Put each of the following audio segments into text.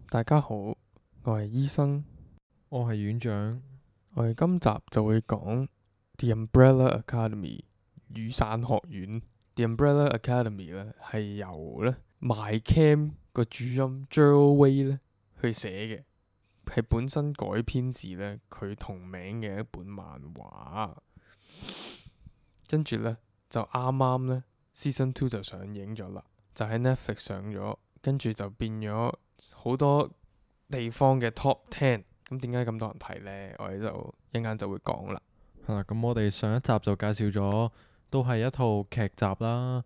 大家好，我係醫生，我係院長。我哋今集就會講 The Umbrella Academy 雨傘學院。The Umbrella Academy 咧係由咧 My Cam 個主音 Gerald Way 咧去寫嘅，係本身改編自咧佢同名嘅一本漫畫。跟住咧就啱啱咧 Season 2就上映咗啦，就喺 Netflix 上咗，跟住就變咗好多地方嘅 Top 10。咁點解咁多人睇呢？我哋就一陣間就會講啦。係啦，咁我哋上一集就介紹咗，都係一套劇集啦，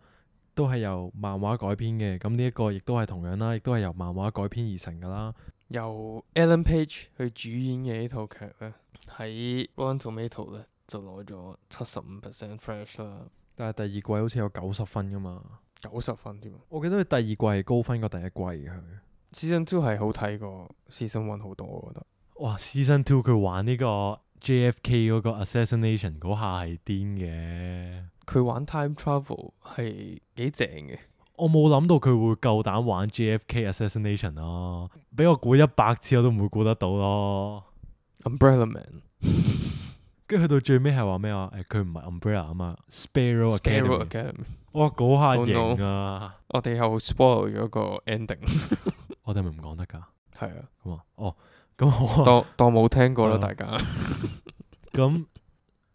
都係由漫畫改編嘅。咁呢一個亦都係同樣啦，亦都係由漫畫改編而成噶啦。由 Ellen Page 去主演嘅呢套劇咧，喺 Rotten Tomato 咧就攞咗75% fresh 啦，但係第二季好似有90分噶嘛， 90分添。我記得佢第二季係高分過第一季嘅佢。Season 2係好睇過 Season 1好多，我覺得。哇！Season 2佢玩呢個 JFK 嗰個 assassination 嗰下係癲嘅。佢玩 time travel 係幾正嘅。我冇諗到佢會夠膽玩 JFK assassination 咯，俾我估100次我都唔會估得到咯。Umbrella Man 跟住去到最尾係話咩啊？佢唔係 Umbrella 啊嘛，Sparrow Sparrow Academy。 Academy。哇，嗰下 Oh no 型啊！我哋又 spoil 咗個 ending。我哋係咪唔講得㗎？係啊，咁啊，哦，咁我當冇聽過啦，啊大家。咁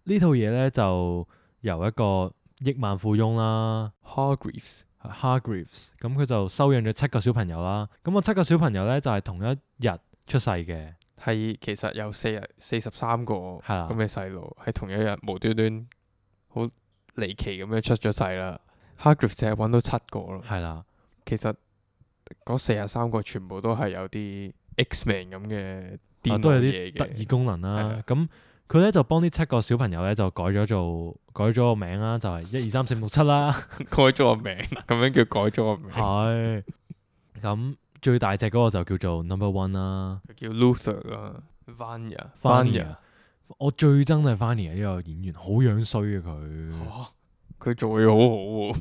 呢套嘢咧就由一個億萬富翁啦 Hargreaves ，Hargreaves，咁佢就收養咗7個小朋友啦。咁個7個小朋友咧就係同一日出世嘅，係其實有43個係啦咁嘅細路，喺同一日無端端好離奇咁樣出咗世啦。Hargreaves 淨係揾到7個咯，係啦，其實嗰43個全部都係有啲 X-Men 咁嘅電都有腦嘢啲特異嘅。功能啦。咁佢咧就幫呢7個小朋友咧就改咗個名啦，就係1、2、3、4、5、6、7啦。改咗個名，咁樣叫改咗個名。係咁最大隻嗰個就叫做 Number One 啦。佢叫 Luther 啦，Vanya。 Vanya，我最憎就係 Vanya 呢個演員，好樣衰啊佢。佢做嘢好好喎，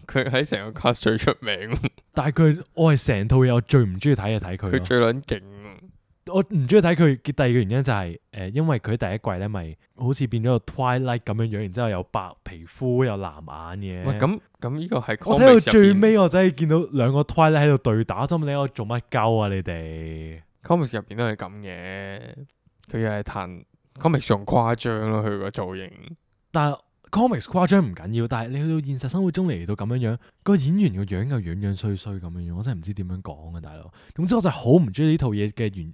佢喺成個 cast 最出名喎，但係我係成套嘢我最唔中意睇嘅睇佢咯。佢最撚勁喎。我唔中意睇佢嘅第二個原因就係因為佢第一季咧咪好似變咗個 Twilight 咁樣樣，然之後有白皮膚有藍眼喂，嘅。咁呢個係我睇到 comics 入邊最尾，我真係見到兩個 Twilight 喺度對打，心諗你喺度做乜鳩啊你哋？ comics 入邊都係咁嘅，佢又係彈 comics 仲誇張咯，佢個造型。但係 comics 誇張唔緊要，但係你去到現實生活中嚟到咁樣樣，個演員個樣又樣樣衰衰咁樣樣，我真係唔知點樣講啊大佬。總之我就好唔中意呢套嘢嘅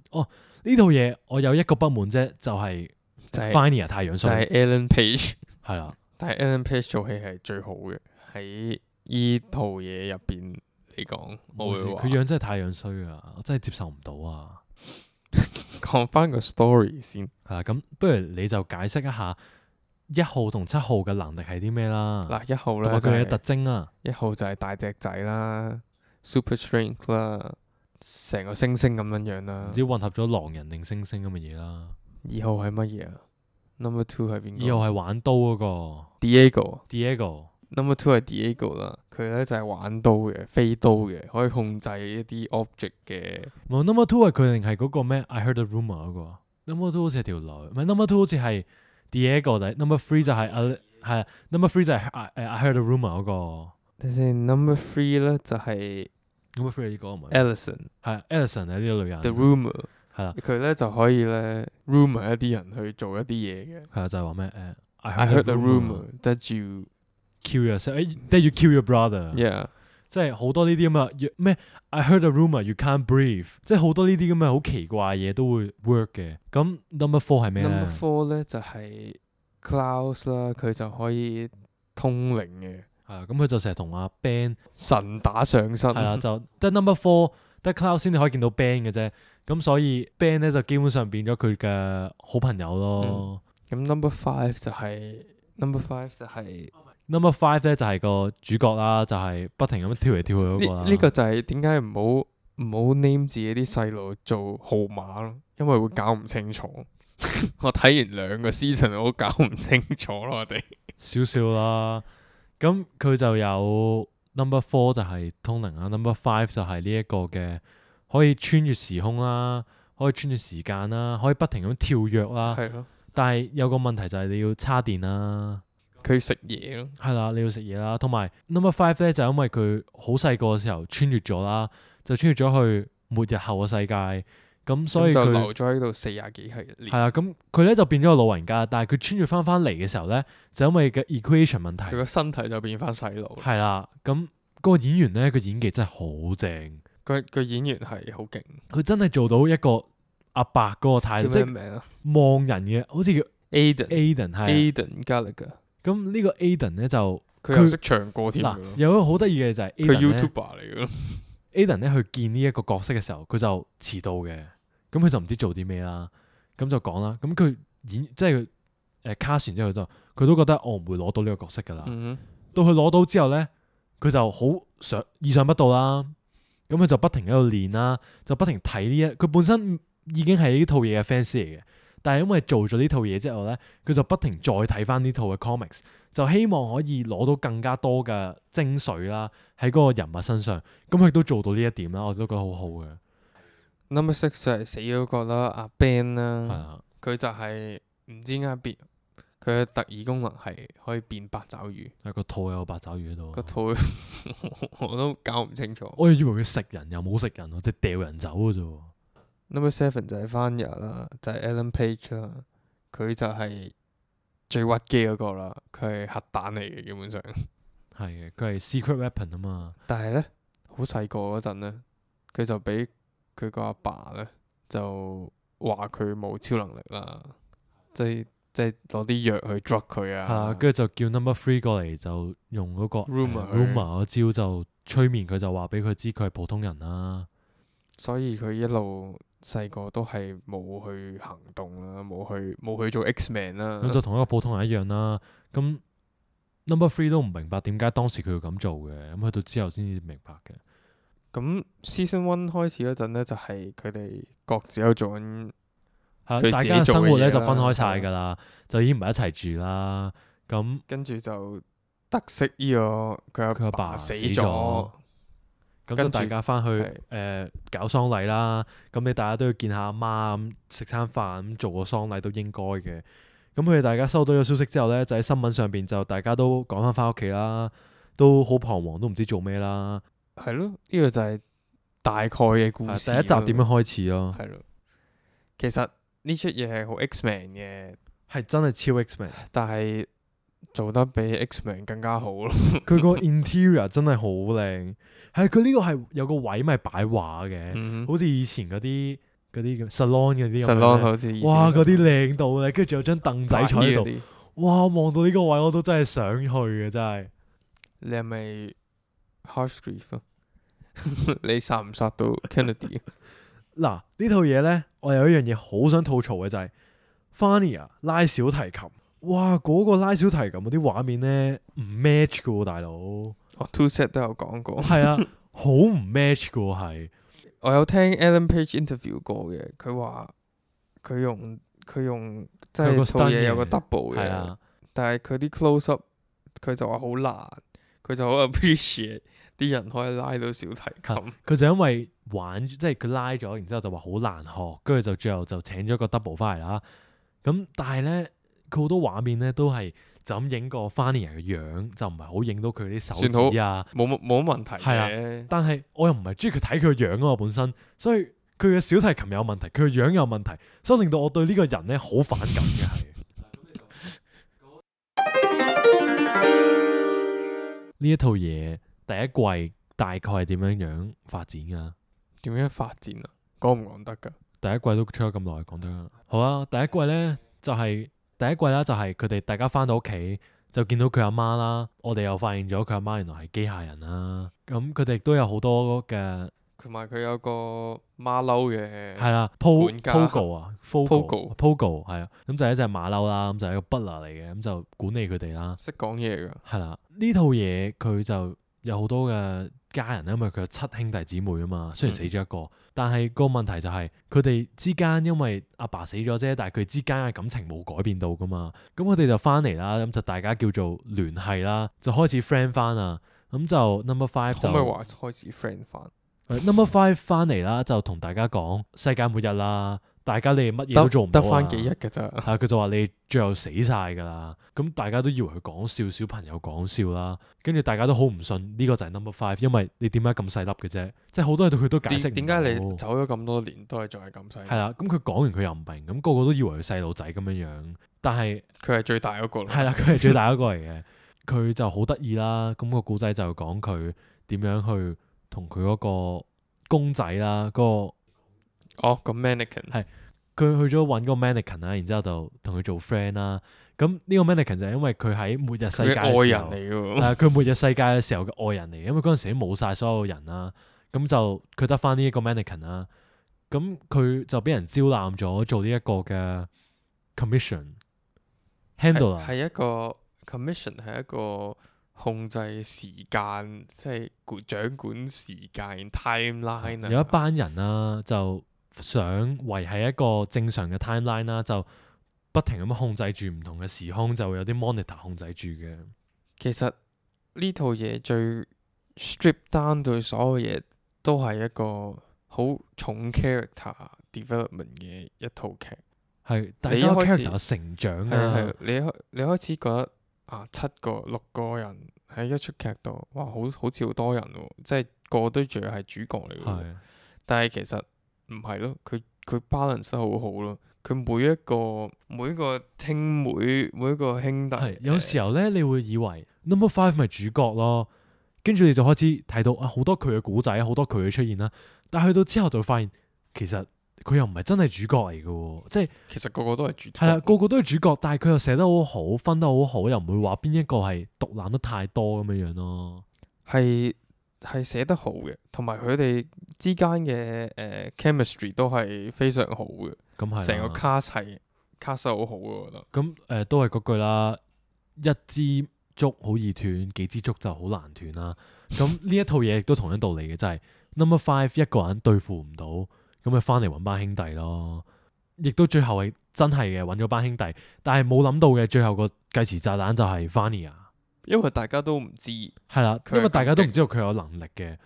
呢套嘢我有一個不滿啫，就係 Vanya 太樣就衰。係 Ellen Page，係啦，但係 Ellen Page 做戲係最好嘅，喺依套嘢入邊嚟講，我會話佢樣真係太樣衰啊，我真係接受唔到啊。講翻個 story 先。係啦，咁不如你就解釋一下1號同7號嘅能力係啲咩啦？嗱，1號同咧就埋佢哋嘅特係徵啊。 1號就係大隻仔啦，super strength 啦，成個猩猩咁樣樣啦唔。知混合咗狼人定猩猩咁嘅嘢啦。 2號係乜嘢啊？Number 2係邊個2號係玩刀嗰個？Diego。 Diego。 Number 2係 Diego 啦，佢咧就係玩刀嘅，飛刀嘅，可以控制一啲 object 嘅。冇 Number 2係佢定係嗰個咩？I heard a rumor 嗰個。Number 2好似係條女，唔係 Number 2好似係 Diego，但係 Number 3就係係 Number 3就係I heard a rumor 嗰個。等先，Number 3咧就係 Number 3係呢個唔係 Ellison 係 Ellison 係呢個女人。 The Rumor，係啦，佢咧就可以咧 rumor 一啲人去做一啲嘢嘅。係啦，就係話咩I I heard a rumor that you kill yourself，that you kill your brother。 yeah 即係好多呢啲咁嘅咩 I heard a rumor you can't breathe， 即係好多呢啲咁嘅好奇怪嘢都會 work 嘅。咁 Number 4係咩咧 Number 4咧就係 Klaus 啦，佢就可以通靈嘅，係啊，咁佢就成日同阿 Ben 神打上身。係啦，就得 Number 4得 Cloud 先至可以見到 Ben 嘅啫。咁所以 Ben 咧就基本上變咗佢嘅好朋友咯。咁 Number 5就係 Number 5就係 Number 5咧就係個主角啦，就係不停咁跳嚟跳去嗰個啦。呢個就係點解唔好 name 自己啲細路做號碼咯，因為會搞唔清楚。我睇完2個 season 我都搞唔清楚咯，我哋少少啦。咁佢就有 Number 4就係通靈啦，Number 5就係呢一個嘅可以穿越時空啦，可以穿越時間啦，可以不停咁跳躍啦。係咯，但係有個問題就係你要叉電啦，佢食嘢咯，係啦，你要食嘢啦。同埋 Number Five 咧就因為佢好細個嘅時候穿越咗啦，就穿越咗去末日後嘅世界，咁所以咁就佢留咗喺度40幾係年。係啦，咁佢咧就變咗個老人家，但係佢穿越翻嚟嘅時候咧，就因為嘅 equation 問題佢，個身體就變翻細路。係啦，咁嗰個演員咧個演技真係好正，個演員係好勁，佢真係做到一個阿伯嗰個態度，即係叫咩名啊望人嘅，好似叫？Aiden Aiden 係啊。 Gallagher，咁呢個 Aiden 咧就佢又識唱歌添㗎嗱，咯。有一個好得意嘅就係佢 Aiden 咧 YouTuber 嚟嘅咯。 Aiden 咧去見呢一個角色嘅時候，佢就遲到嘅，咁佢就唔知做啲咩啦，咁就講啦，咁佢演即係佢cast完之後佢都覺得我唔會攞到呢個角色㗎啦。嗯到佢攞到之後咧，佢就好意想不到啦。咁佢就不停喺度練啦，就不停睇佢本身已經係呢套嘢嘅 fans 嚟嘅，但係因為做咗呢套嘢之後咧，佢就不停再睇翻呢套嘅 comics，就希望可以攞到更加多嘅精髓啦喺嗰個人物身上。咁佢都做到呢一點啦，我都覺得好好嘅。 Number 6就係死咗個啦，阿 Ben 係啦，啊，佢就係唔知點解變，佢嘅特異功能係可以變八爪魚，有個肚有個八爪魚喺度。個肚我都搞唔清楚。我以為佢食人又冇食人喎，即係掉人走嘅啫喎。 Number 7就係翻日啦，就係 Ellen Page 啦，佢就係最屈機嗰個啦，佢係核彈嚟嘅基本上。係嘅，佢係 secret weapon 啊嘛。但係咧，好細個嗰陣咧，佢就俾佢個阿爸咧就話佢冇超能力啦，即係攞啲藥去 drug 佢係啦，啊。跟住就叫 Number Three 過嚟，就用嗰個 Rumor rumor 嗰招就催眠佢，就話俾佢知佢係普通人啦。所以佢一路細個都係冇去行動啦，冇去做 X-Man 啦。咁就同一個普通人一樣啦。咁 Number Three 都唔明白點解當時佢要咁做嘅，咁去到之後先至明白嘅。咁 Season 1開始嗰陣咧，就係佢哋各自有做緊。係佢自己大家嘅生活咧就做嘅嘢啦分開晒㗎啦，就已經唔係一齊住啦。咁跟住就得悉呢個佢佢阿爸阿爸死咗咗，咁就跟住大家翻去搞喪禮啦。咁你大家都要見下阿媽咁食餐飯咁做個喪禮都應該嘅。咁佢哋大家收到咗消息之後咧，就喺新聞上邊就大家都趕翻屋企啦，都好彷徨，都唔知做咩啦。係咯，呢個就係大概嘅故事。第一集點樣開始咯？係咯，其實呢出嘢係好 X-Man 嘅，係真係超 X-Men，但係做得比 X-Man 更加好咯。佢個 interior 真係好靚。係佢呢個係有個位咪擺畫嘅，嗯好似以前嗰啲叫 salon 嗰啲咁樣，Salon 咧好似以前哇！嗰啲 Salon 靚到咧，跟住仲有張凳仔坐喺度。嗰啲。哇！望到呢個位我都真係想去嘅，真係。你係咪 Harshgrief 啊？你殺唔殺到 Kennedy？嗱，呢套嘢咧，我有一樣嘢好想吐槽嘅就係 Fania 拉小提琴。哇！嗰個拉小提琴嗰啲畫面咧唔 match 嘅喎，大佬。我 Two Set 都有講過。係啊，好唔 match 嘅喎，係。我有聽 Ellen Page interview 過嘅，佢話佢用即有個係套 stunt 嘢有個嘅 double 嘅，係啊，但係佢啲 close up 佢就話好難，佢就好 appreciate 啲人可以拉到小提琴。佢就因為玩即係佢拉咗，然之後就話好難學，跟住就最後就請咗個 double 翻嚟啦。咁但係咧，佢好多畫面咧都係就咁影個 Fania 嘅樣，就唔係好影到佢啲手指啊。冇乜問題係嘅。但係我又唔係中意佢睇佢個樣啊嘛，本身，所以佢嘅小提琴有問題，佢個樣有問題，所以令到我對呢個人咧好反感嘅係。呢一套嘢第一季大概係點樣樣發展噶？點樣發展啊？講唔講得㗎？第一季都出咗咁耐，講得啦。好啊，第一季咧就係、第一季啦，就係佢哋大家翻到屋企就見到佢阿媽啦。我哋又發現咗佢阿媽原來係機械人啦。咁佢哋都有好多嘅同埋佢有個馬騮嘅，係啦管家，Pogo 啊 Pogo ，Pogo 係啊，咁就係一隻馬騮啦，咁就係一個 butler 嚟嘅，咁就管理佢哋啦。識講嘢㗎。係啦，呢套嘢佢就有好多嘅家人，因為佢有7兄弟姊妹啊嘛，雖然死咗一個，但係個問題就係佢哋之間因為阿爸死咗啫，但係佢之間嘅感情冇改變到噶嘛，咁佢哋就翻嚟啦，咁就大家叫做聯繫啦，就開始 friend 翻啊，咁就 Number Five 就可唔可以話開始 friend 翻？ Number Five 翻嚟啦，就同大家講世界末日啦，大家你乜嘢都做唔到啊得翻幾日㗎咋？係佢就話你最後死晒㗎啦，咁大家都以為佢講笑，小朋友講笑啦，跟住大家都好唔信呢個就係 Number Five，因為你點解咁細粒嘅啫？即係好多嘢佢都解釋唔到。點解你走咗咁多年都係仲係咁細？係啦，咁佢講完佢又唔明，咁個個都以為佢細路仔咁樣樣，但係佢係最大嗰個。係啦，佢係最大嗰個嚟嘅，佢就好得意啦。咁個故仔就講佢點樣去同佢嗰個公仔啦，個 mannequin 係佢去咗揾個 mannequin 啦，然之後就同佢做 friend 啦。咁呢個 mannequin 就係因為佢喺末日世界嘅愛時候，人嚟㗎喎。係佢末日世界嘅時候嘅愛人嚟嘅，因為嗰陣時都冇晒所有人啦，咁就佢得翻呢一個 mannequin 啦。咁佢就俾人招攬咗做呢一個嘅 commission handler，係一個 commission 係一個控制時間，即係掌管時間 timeline 啊。有一班人啦，就想維係一個正常嘅 timeline 啦，就不停咁樣控制住唔同嘅時空，就會有啲 monitor 控制住嘅。其實呢套嘢最 strip down 對所有嘢都係一個好重 character development 嘅一套劇。係大家你一開始 character 成長係啊，你開始覺得六個人喺一出劇度，哇好似好多人喎，即係個個都仲係主角嚟嘅喎。係但係其實唔係咯，佢 balance 得好好咯。佢每一個兄妹，每一個兄弟，係有時候咧，你會以為 Number Five 咪主角咯，跟住你就開始睇到好多佢嘅古仔，好多佢嘅出現啦。但係去到之後就會發現，其實佢又唔係真係主角嚟嘅喎，即係其實個個都係主角。係啦，個個都係主角，但係佢又寫得好好，分得好好，又唔會話邊一個係獨攬得太多咁樣樣咯。係寫得好嘅，同埋佢哋之間嘅chemistry 都係非常好嘅。咁係成個 cast 係 cast 得好好嘅，我覺得。咁都係嗰句啦，一支竹好易斷，幾支竹就好難斷啦。咁呢一套嘢亦都同樣道理嘅，就係 Number Five 一個人對付唔到，咁咪翻嚟揾班兄弟咯。亦都最後係真係嘅揾咗班兄弟，但係冇諗到嘅最後個計時炸彈就係 Vanya。因為大家都唔知，係啦，佢係因為大家都唔知道佢有能力嘅。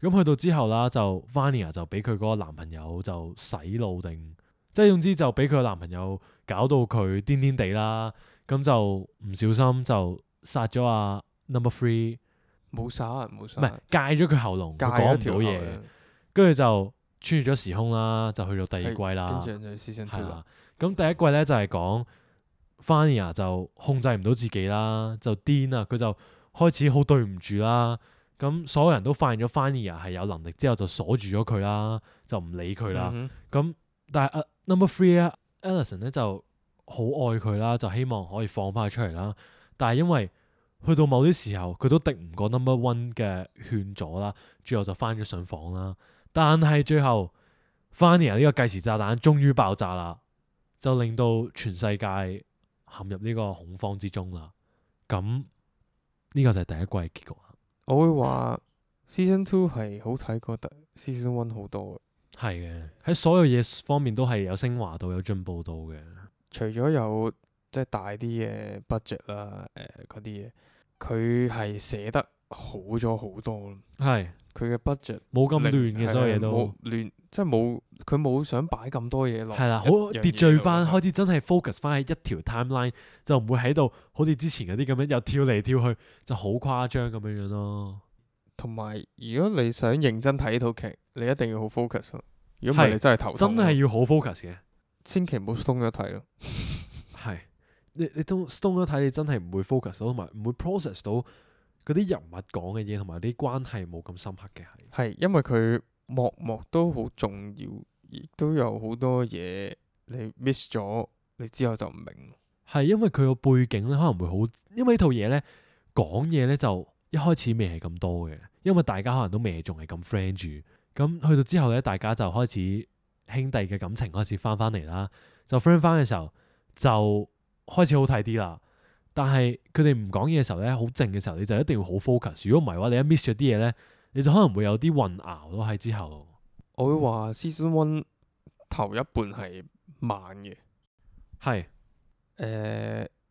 咁去到之後啦，就 Vanya 就俾佢嗰個男朋友就洗腦定，即係總之就俾佢個男朋友搞到佢癲癲地啦。咁就唔小心就殺咗阿 Number Three，冇殺人冇唔係殺人，戒咗佢喉嚨，戒佢講唔咗條喉到嘢，嘅跟住就穿越咗時空啦，就去到第二季啦。跟住就 season 係 two 啦啦。咁第一季咧就係講 Vanya 就控制唔到自己啦，就癲啊！佢就開始好對唔住啦。咁所有人都發現咗 Vanya 係有能力之後，就鎖住咗佢啦，就唔理佢啦。嗯咁但係Number Three 啊 Allison 咧就好愛佢啦，就希望可以放翻佢出嚟啦。但係因為去到某啲時候，佢都敵唔過 Number One 嘅勸阻啦，最後就翻咗上房啦。但係最後 Vanya 呢個計時炸彈終於爆炸啦，就令到全世界陷入呢個恐慌之中啦。咁呢個就係第一季嘅結局啦。我會話 season two 係好睇過 season one 好多嘅。係嘅，喺所有嘢方面都係有升華到，有進步到嘅。除咗有即係大啲嘅 budget 啦，嗰啲嘢，佢係寫得好咗好多咯。係佢嘅 budget 冇咁亂嘅，所有嘢都冇亂，即係佢冇想擺咁多嘢落。係啦，好一樣嘢秩序翻，度開始真係 focus 翻喺一條 timeline，就唔會喺度好似之前嗰啲咁樣又跳嚟跳去，就好誇張咁樣樣咯。同埋，如果你想認真睇呢套劇，你一定要好 focus 咯。如果唔係，係你真係頭痛咯。真係要好 focus 嘅。千祈唔好鬆咗睇咯。係你都 stone 咗睇，你真係唔會 focus 到，同埋唔會 process 到嗰啲人物講嘅嘢，同埋啲關係冇咁深刻嘅係。係因為佢幕幕都好重要，亦都有好多嘢你 miss 咗，你之後就唔明。係因為佢個背景咧可能會好，因為呢套嘢咧講嘢咧就一開始未係咁多嘅，因為大家可能都未仲係咁 friend 住。咁去到之後咧，大家就開始兄弟嘅感情開始翻嚟啦，就 friend 翻嘅時候就開始好睇啲啦。但係佢哋唔講嘢嘅時候咧，好靜嘅時候，你就一定要好 focus。如果唔係嘅話，你一 miss 咗啲嘢咧，你就可能會有啲混淆咯喺之後。我會話 season one 頭一半係慢嘅。係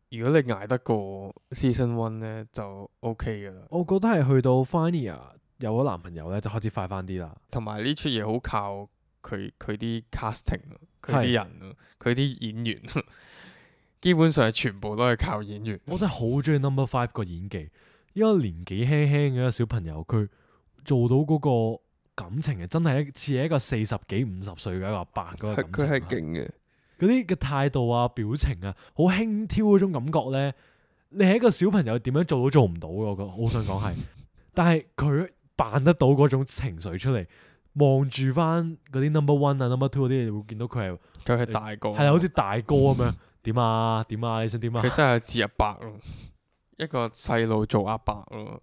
如果你捱得過 season one 咧，就 OK 噶啦。我覺得係去到 Vanya 有咗男朋友咧，就開始快翻啲啦。同埋呢出嘢好靠佢啲 casting，佢啲人，佢啲演員，基本上係全部都係靠演員。我真係好中意 Number Five 個演技，一個年紀輕輕嘅一個小朋友，佢做到嗰個感情係真係似係一個40幾50歲嘅一個阿伯嗰個感情。佢係勁嘅，嗰啲嘅態度啊、表情啊，好輕佻嗰種感覺咧，你係一個小朋友點樣做都做唔到嘅，我覺得好想講係。但係佢扮得到嗰種情緒出嚟，望住翻嗰啲 Number One 啊、Number Two 嗰啲，你會見到佢佢係大個，係好似大哥咁樣。點啊？點啊？你想點啊？佢真係似阿伯咯，一個細路做阿伯咯，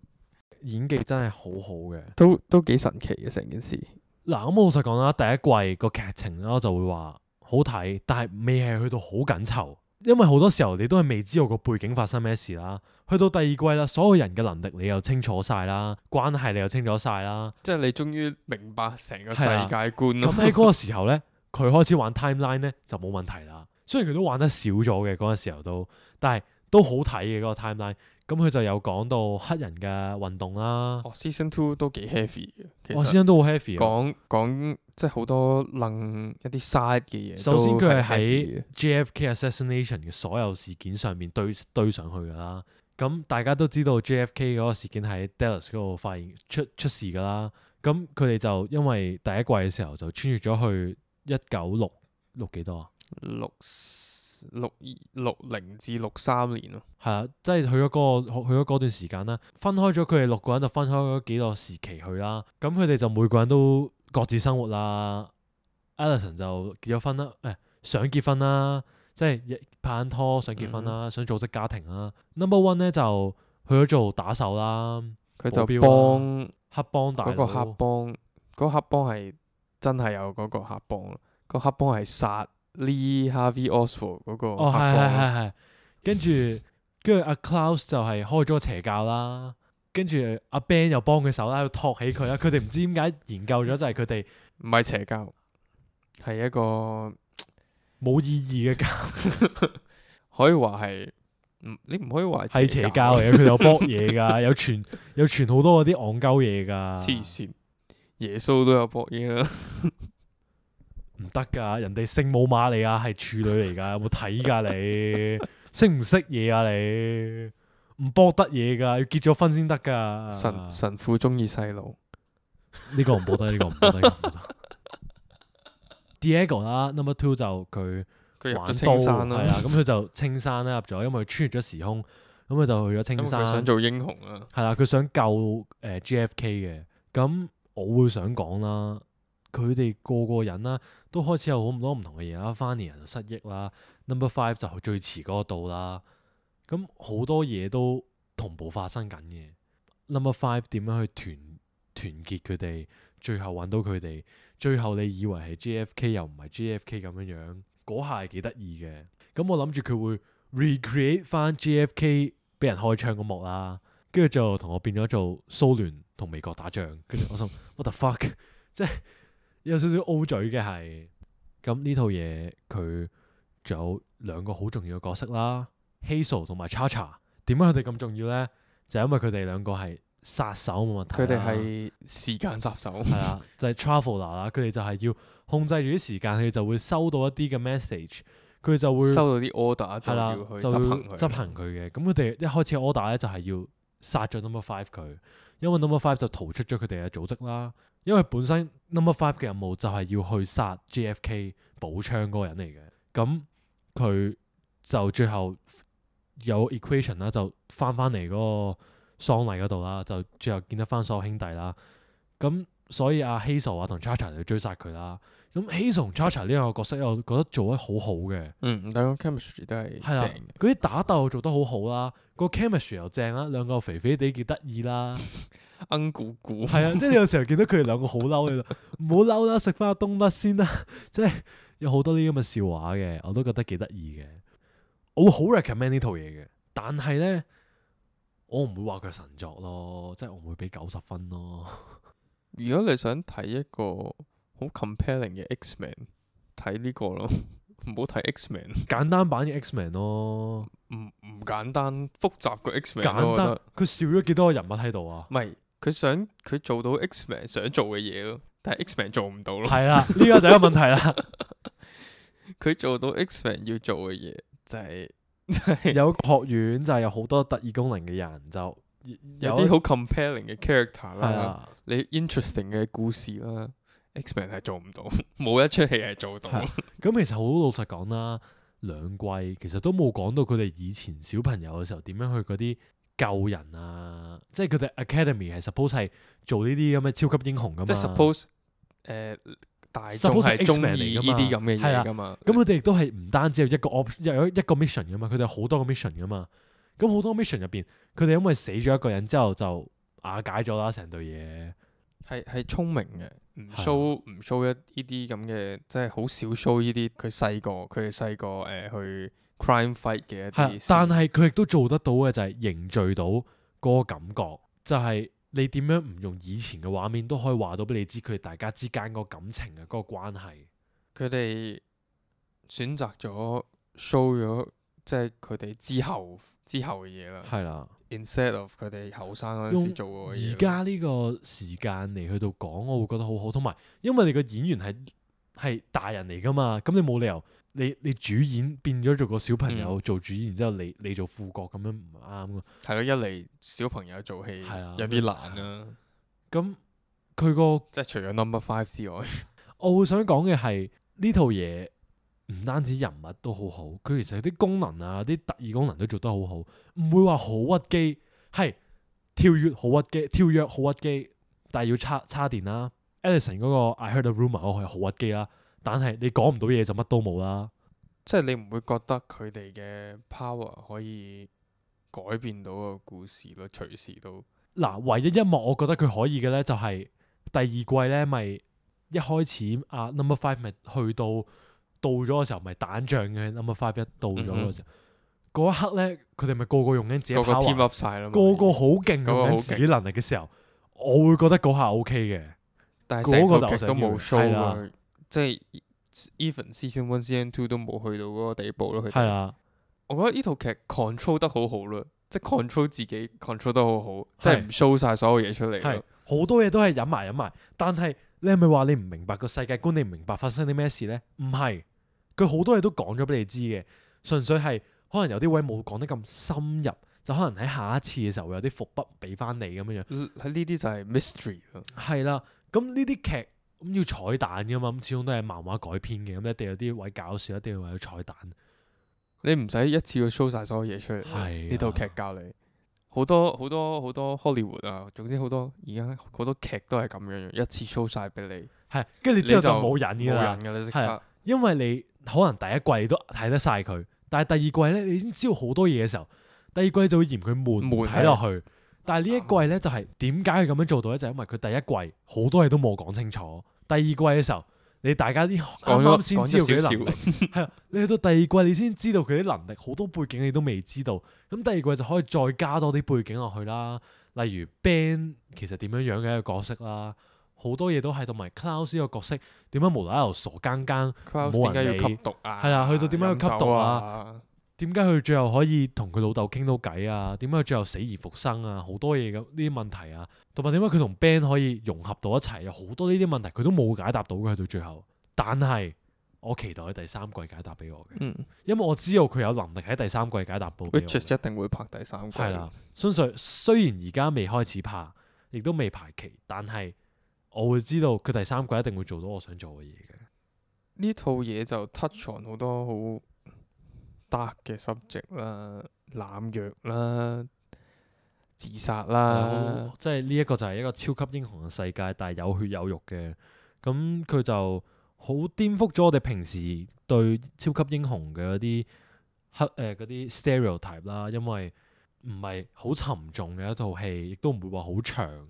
演技真係好好嘅，都幾神奇嘅成件事。嗱，咁我老實講啦，第一季個劇情咧，我就會話好睇，但係未係去到好緊湊，因為好多時候你都係未知道個背景發生咩事啦。去到第二季啦，所有人嘅能力你又清楚晒啦，關係你又清楚晒啦，即係你終於明白成個世界觀咯。咁喺嗰個時候咧，佢開始玩 timeline 咧就冇問題啦。雖然佢都玩得少咗嘅嗰個時候都，但係都好睇嘅嗰個 timeline。咁佢就有講到黑人嘅運動啦。Season 2都幾 heavy 嘅，其實Season 都好 heavy。講即係好多楞一啲 side 嘅嘢。首先佢係喺 JFK assassination 嘅所有事件上面堆上去㗎啦。咁大家都知道 JFK 嗰個事件喺 Dallas 嗰度發現出事㗎啦。咁佢哋就因為第一季嘅時候就穿越咗去1966幾多啊？60至63年咯，係啊，即係去咗嗰段時間啦，分開咗佢哋6個人就分開咗幾個時期去啦。咁佢哋就每個人都各自生活啦。Allison 就結咗婚啦，想結婚啦，即係拍緊拖想結婚啦，想組織家庭啦。Number One 咧就去咗做打手啦，佢就幫黑幫大佬。嗰個黑幫係真係有嗰個黑幫咯，個黑幫係殺Lee Harvey Oswald 嗰個黑幫。係。跟住阿 Klaus 就係開咗個邪教啦，跟住阿 Ben 又幫佢手啦，喺度托起佢啦。佢哋唔知點解研究咗就係佢哋唔係邪教，係一個冇意義嘅教，可以話係你唔可以話係邪教嚟嘅。佢有搏嘢㗎，有傳好多嗰啲戇鳩嘢㗎。黐線，耶穌都有搏嘢啦。唔得噶，人哋聖母瑪利亞係處女嚟噶，有冇睇噶你？識唔識嘢啊你？唔搏得嘢噶，要結咗婚先得噶。神父中意細路，呢個唔搏得，呢個唔搏得。Diego 啦 ，Number Two 就佢入咗青山啦，係啊，咁佢就青山啦入咗，因為佢穿越咗時空，咁佢就去咗青山。佢想做英雄啊，係啦，佢想救JFK 嘅。咁我會想講啦。佢哋個人啦，都開始有好多唔同嘅嘢啦。Fanny 人就失憶啦 ，Number Five 就最遲嗰度啦。咁好多嘢都同步發生緊嘅。Number Five 點樣去團結佢哋，最後揾到佢哋，最後你以為係 JFK 又唔係 JFK 咁樣，嗰下係幾得意嘅。咁我諗住佢會 recreate 翻 JFK 俾人開槍嗰幕啦，跟住就同我變咗做蘇聯同美國打仗。跟住我心 what the fuck， 即係。有少少 O 嘴嘅係，咁呢套嘢佢仲有2個好重要嘅角色啦 ，Hazel 同埋 Cha-Cha。點解佢哋咁重要咧？就係因為佢哋2個係殺手冇問題。佢哋係時間殺手。係啦，就係 Traveler 啦。佢哋就係要控制住啲時間，佢哋就會收到一啲嘅 message，佢哋就會收到啲 order 就要去執行佢嘅。咁佢哋一開始 order 咧就係要殺咗 Number Five 佢，因為 Number Five 就逃出咗佢哋嘅組織啦。因為本身 Number Five 嘅任務就係要去殺 JFK 補槍嗰個人嚟嘅，咁佢就最後有 equation 啦，就翻嚟嗰個喪禮嗰度啦，就最後見得翻所有兄弟啦。咁所以阿 Hazel 啊同 Cha-Cha 就追殺佢啦。咁 Hazel 同 Cha-Cha 呢兩個角色，我覺得做得好好嘅。但個 chemistry 都係正嘅。嗰啲打鬥做得好好啦，個 chemistry 又正啦，兩個肥肥地幾得意啦。鼓鼓係啊，即係你有時候見到佢哋2個好嬲，你就唔好嬲啦，食翻個冬甩先啦。即係有好多呢啲咁嘅笑話嘅，我都覺得幾得意嘅。我會好 recommend 呢套嘢嘅，但係咧我唔會話佢神作咯，即係我唔會俾90分咯。如果你想睇一個好 compelling 嘅 X-Men， 睇呢個咯，唔好睇 X-Men。簡單版嘅 X-Men 咯，唔簡單，複雜個 X-Men。簡單，佢少咗幾多個人物喺度啊？唔係佢做到 X-Men 想做嘅嘢咯，但係 X-Men 做唔到咯。係啦，呢個就係一個問題啦。佢做到 X-Men 要做嘅嘢就係有個學院就係有好多特異功能嘅人，就有啲好 compelling 嘅 character 啦，係啦。你 interesting 嘅故事啦，X-Men 係做唔到，冇一出戲係做到。係咁其實好老實講啦，兩季其實都冇講到佢哋以前小朋友嘅時候點樣去嗰啲救人啊，即係佢哋 Academy 係 suppose 係做呢啲咁嘅超級英雄噶嘛。即係 suppose 大眾係中意呢啲咁嘅嘢噶嘛。咁佢哋亦都係唔單止有一個有一個 mission 噶嘛，佢哋有好多個 mission 噶嘛。咁好多 mission 入邊，佢哋因為死咗一個人之後就瓦解咗啦，成隊嘢。係聰明嘅，唔 show 一呢啲咁嘅，即係好少 show 呢啲佢哋細個去 crime fight 嘅一啲。但係佢亦都做得到嘅就係凝聚到嗰個感覺，就係、你點樣唔用以前嘅畫面都可以話到俾你知佢哋大家之間嗰個感情啊，嗰個關係。佢哋選擇咗 show 咗，即係佢哋之後嘅嘢啦。係啦。instead of 佢哋後生嗰陣時做過嘅嘢。而家呢個時間嚟去到講，我會覺得好好。同埋因為你個演員係大人嚟噶嘛，咁你冇理由你主演變咗做個小朋友做主演，然之後你做副角咁樣唔啱噶。係咯，一嚟小朋友做戲有啲難啦。咁佢個即係除咗 Number 5之外，我會想講嘅係呢套嘢唔單止人物都好好，佢其實有啲功能啊，啲特異功能都做得好好，唔會話好屈機，係跳躍好屈機，但係要叉電啦。Ellison 嗰個 I heard a rumor 嗰個係好屈機啦，但係你講唔到嘢就乜都冇啦。即係你唔會覺得佢哋嘅 power 可以改變到個故事咯，隨時都。嗱，唯一一幕我覺得佢可以嘅咧，就係第二季咧，咪一開始Number 5咪去到咗嘅時候，咪打仗嘅 Number 5一到咗嘅時候，嗰一刻咧，佢哋咪個個用緊自己 power，個個 team up 晒啦，個個好勁用緊自己能力嘅時候，我會覺得嗰下 OK 嘅。但係成個劇都冇嗰個就係 show 啊，即係 even Season 1、Season 2都冇去到嗰個地步咯。佢哋係啊，我覺得呢套劇 control 得好好咯，即係 control 自己 control 得好好，即係唔 show 晒所有嘢出嚟咯。好多嘢都係隱埋，但係你係咪話你唔明白個世界觀？你唔明白發生啲咩事咧？唔係，佢好多嘢都講咗俾你知嘅，純粹係可能有啲位冇講得咁深入，就可能喺下一次嘅時候會有啲伏筆俾翻你咁樣樣。喺呢啲就係 mystery 咯。係啦，咁呢啲劇咁要彩蛋噶嘛，咁始終都係漫畫改編嘅，咁一定有啲位搞笑，一定要有彩蛋。你唔使一次要 show 晒所有嘢出嚟。呢套劇教你好多 Hollywood 啊，總之好多而家好多劇都係咁樣，一次 show 晒俾你。係，跟住之後就冇癮㗎啦。冇癮㗎啦，即刻。因為你可能第一季都睇得晒佢，但係第二季咧，你已經知道好多嘢嘅時候，第二季就會嫌佢悶睇落去。但係呢一季咧就係點解佢咁樣做到咧？就係因為佢第一季好多嘢都冇講清楚，第二季嘅時候你大家啲啱啱先知道佢啲能力，係啊，你去到第二季你先知道佢啲能力，好多背景你都未知道，咁第二季就可以再加多啲背景落去啦，例如 Ben 其實點樣樣嘅一個角色啦，好多嘢都係，同埋 Klaus 呢個角色點解無啦啦傻更更冇人理，點解要吸毒啊？係啊，去到點解要吸毒啊？啊？點解佢最後可以同佢老豆傾到偈啊？點解佢最後死而復生啊？好多嘢咁呢啲問題啊，同埋點解佢同 Ben 可以融合到一齊？有好多呢啲問題佢都冇解答到嘅，去到最後。但係我期待佢第三季解答俾我嘅，因為我知道佢有能力喺第三季解答到。Witcher 一定會拍第三季。係啦，雖然而家未開始拍，亦都未排期，但係我會知道佢第三季一定會做到我想做嘅嘢嘅。呢套嘢就 touch on 好多好 dark 嘅 subject 啦，濫藥啦，自殺啦，即係呢一個就係一個超級英雄嘅世界，但係有血有肉嘅。咁佢就好顛覆咗我哋平時對超級英雄嘅嗰啲嗰啲 stereotype 啦，因為唔係好沉重嘅一套戲，亦都唔會話好長，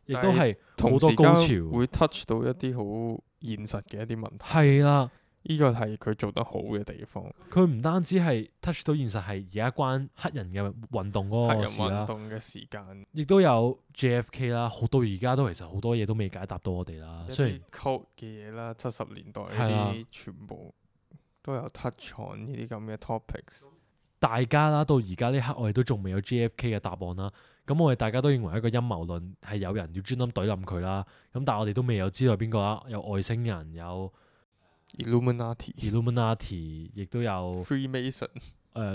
亦都係好多高潮，會 touch 到一啲好現實嘅一啲問題。係啦。呢個係佢做得好嘅地方。佢唔單止係 touch 到現實，係而家關黑人嘅運動嗰個事啦。黑人運動嘅時間，亦都有 JFK 啦，到而家都其實好多嘢都未解答到我哋啦。雖然 code 嘅嘢啦，70年代呢啲全部都有 touch on 呢啲咁嘅 topics。大家啦，到而家呢刻我哋都仲未有 JFK 嘅答案啦。咁我哋大家都認為一個陰謀論係有人要專登懟冧佢啦。咁但係我哋都未有知道邊個啦，有外星人，有 Illuminati，亦都有 Freemason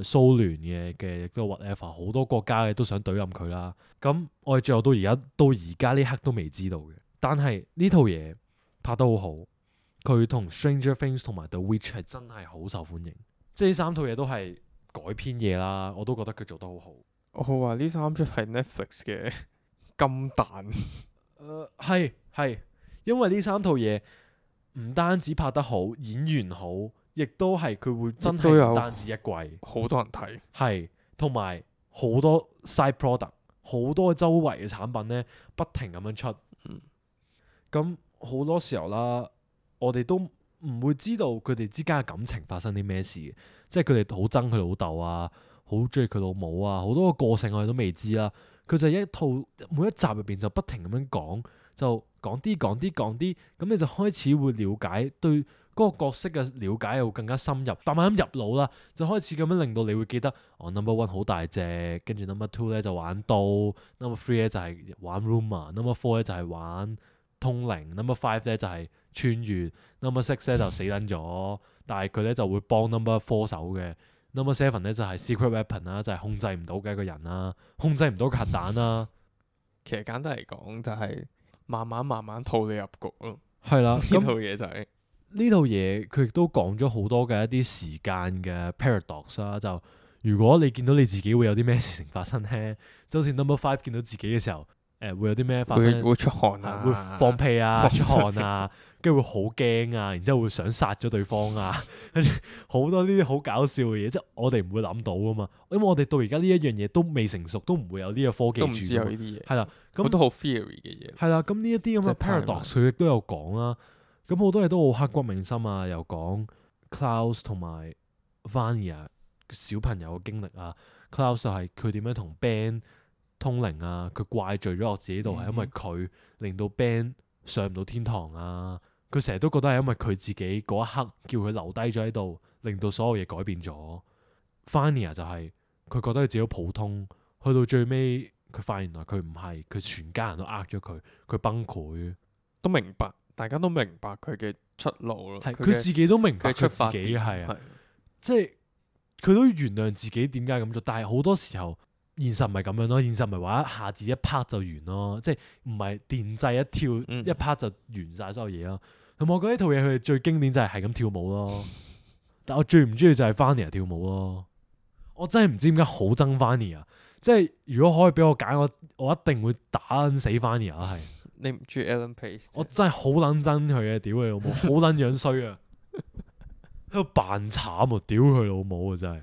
蘇聯嘅，亦都有 whatever，好多國家嘅都想懟冧佢啦。咁我哋最後到而家呢刻都未知道嘅。但係呢套嘢拍得好好，佢同 Stranger Things 同埋 The Witch 係真係好受歡迎。即係呢三套嘢都係改編嘢啦，我都覺得佢做得好好。我話呢三出係 Netflix 嘅金蛋。係，因為呢三套嘢唔單止拍得好，演員好，亦都係佢會真係唔單止一季，好多人睇。係同埋好多 side product， 好多周圍嘅產品呢，不停咁樣出。咁好多時候啦，我哋都唔會知道佢哋之間嘅感情發生啲咩事嘅，即係佢哋好憎佢老豆啊，好中意佢老母啊，好多個性我哋都未知啦。佢就係一套每一集入邊就不停咁樣講，就講啲，咁你就開始會了解對嗰個角色嘅了解又更加深入，慢慢咁入腦啦，就開始咁樣令到你會記得number one 好大隻，跟住 number two 咧就玩刀，number three 咧就係玩 rumor，number four 咧就係玩通靈，number five 咧就係穿越，number six 咧就死撚咗，但係佢咧就會幫 number four 手嘅。Number seven 咧就係 secret weapon 啦，就係控制唔到嘅一個人啦，控制唔到個核彈啦。其實簡單嚟講就係慢慢套你入局咯。係啦，呢套嘢就係呢套嘢佢亦都講咗好多嘅一啲時間嘅 paradox 啦。就如果你見到你自己會有啲咩事情發生咧，就好似 number five 見到自己嘅時候，會有啲咩發生？會出汗啊，會放屁啊，出汗啊，跟住會好驚啊，然之後會想殺咗對方啊，跟住好多呢啲好搞笑嘅嘢，即係我哋唔會諗到噶嘛，因為我哋到而家呢一樣嘢都未成熟，都唔會有呢個科技，都唔知有呢啲嘢。係啦，咁好多好 theory 嘅嘢。係啦，咁呢一啲咁嘅 paradox 佢亦都有講啦。咁好多嘢都好刻骨銘心啊，又講 Klaus 同埋 Vanya 小朋友嘅經歷啊。Klaus 就係佢點樣同 Ben 通靈啊，佢怪罪咗我自己度，係因為佢令到 Ben 上唔到天堂啊。佢成日都覺得係因為佢自己嗰一刻叫佢留低咗喺度，令到所有嘢改變咗。Vanya 就係佢覺得佢自己好普通，去到最尾佢發現原來佢唔係，佢全家人都呃咗佢，佢崩潰。都明白，大家都明白佢嘅出路咯。係佢自己都明白佢自己係啊，即係佢都原諒自己點解咁做，但係好多時候現實唔係咁樣咯，現實唔係話一下子一 part 就完咯，即係唔係電掣一跳一 part 就完晒所有嘢咯。同埋我覺得呢套嘢佢最經典就係咁跳舞咯，但我最唔中意就係 Vanya 跳舞咯。我真係唔知點解好憎 Vanya，即係如果可以俾我揀，我一定會打死 Vanya 係。你唔中意 Ellen Page？我真係好撚憎佢嘅，屌佢老母，好撚樣衰啊！喺度扮慘啊，屌佢老母啊，真係！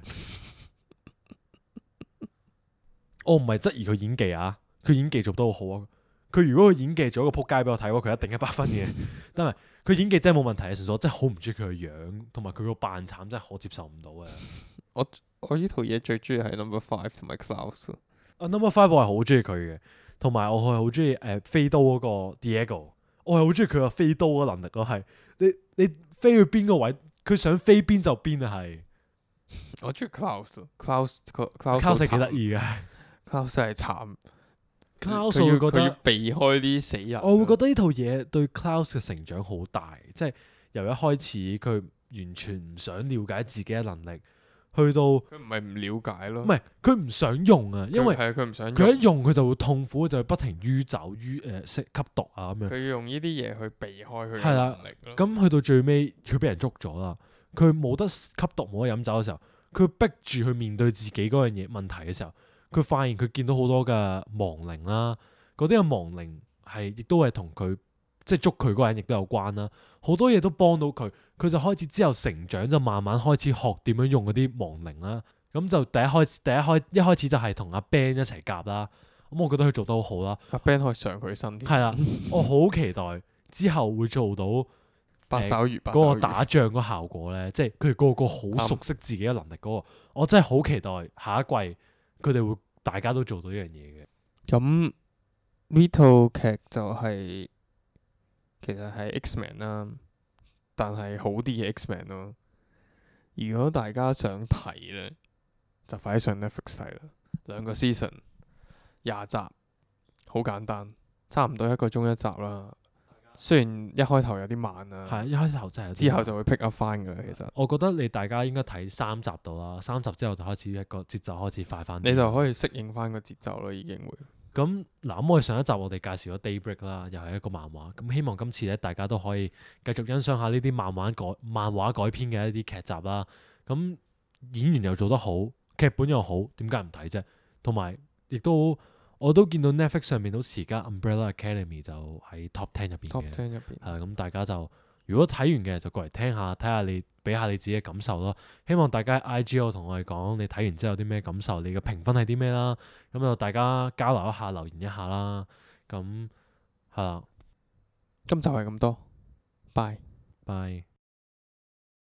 我唔係質疑佢演技啊，佢演技做得好好啊。佢如果佢演技做一個撲街俾我睇，佢一定100分嘅。但係佢演技真係冇問題啊，純粹我真係好唔中意佢嘅樣，同埋佢個扮慘真係可接受唔到嘅。我呢套嘢最中意係 Number Five 同埋 Klaus。Number Five 我係好中意佢嘅。同埋我係好中意飛刀嗰個 Diego， 我係好中意佢個飛刀嘅能力咯。係你飛去邊個位，佢想飛邊就邊啊！係我中意 Klaus 係幾得意嘅。Klaus 係慘，Klaus 我會覺得佢要避開啲死人。我會覺得呢套嘢對 Klaus 嘅成長好大，即係由一開始佢完全唔想了解自己嘅能力。去到佢唔係唔了解咯，唔係佢唔想用啊，因為佢唔想佢一用佢就會痛苦，就會不停酗酒、吸毒啊咁樣。佢要用呢啲嘢去避開佢嘅係啦能力咯。咁去到最尾，佢俾人捉咗啦。佢冇得吸毒，冇得飲酒嘅時候，佢逼住去面對自己嗰樣嘢問題嘅時候，佢發現佢見到好多嘅亡靈啦，嗰啲嘅亡靈係亦都係同佢即係捉佢嗰個人亦都有關啦。好多嘢都幫到佢。佢就開始之後成長，就慢慢開始學點樣用嗰啲亡靈啦。咁就一開始就係同阿 Ben 一齊夾啦。咁我覺得佢做得好好啦。阿 Ben 可以上佢身添。係啦，我好期待之後會做到八爪魚嗰個打仗嗰效果咧，即係佢哋個好熟悉自己嘅能力嗰個。我真係好期待下一季佢哋會大家都做到呢樣嘢嘅。咁呢套劇就係其實係 X-Men 啦。但係好啲嘅 X-Men 咯。如果大家想睇咧，就快啲上 Netflix 睇啦。2個 season， 20集，好簡單，差唔多1個鐘一集啦。雖然一開頭有啲慢啊，係一開頭真係有啲慢之後就會 pick up 翻噶啦。其實我覺得大家應該睇3集到啦，3集之後就開始一個節奏開始快翻。你就可以適應翻個節奏咯，已經會。咁嗱，咁我哋上一集我哋介紹咗 Daybreak 啦，又係一個漫畫。咁希望今次咧大家都可以繼續欣賞下呢啲漫畫改編嘅一啲劇集啦。咁演員又做得好，劇本又好，點解唔睇啫？同埋亦都我都見到 Netflix 上面好似而家 Umbrella Academy 就喺 Top 10入邊嘅。Top 10入邊。咁大家就如果睇完嘅就過嚟聽下，睇下你俾下你自己嘅感受咯。希望大家 IG 同我哋講你睇完之後有啲咩感受，你嘅評分係啲咩啦？咁就大家交流一下，留言一下啦。咁係啦，今集係咁多，拜。拜。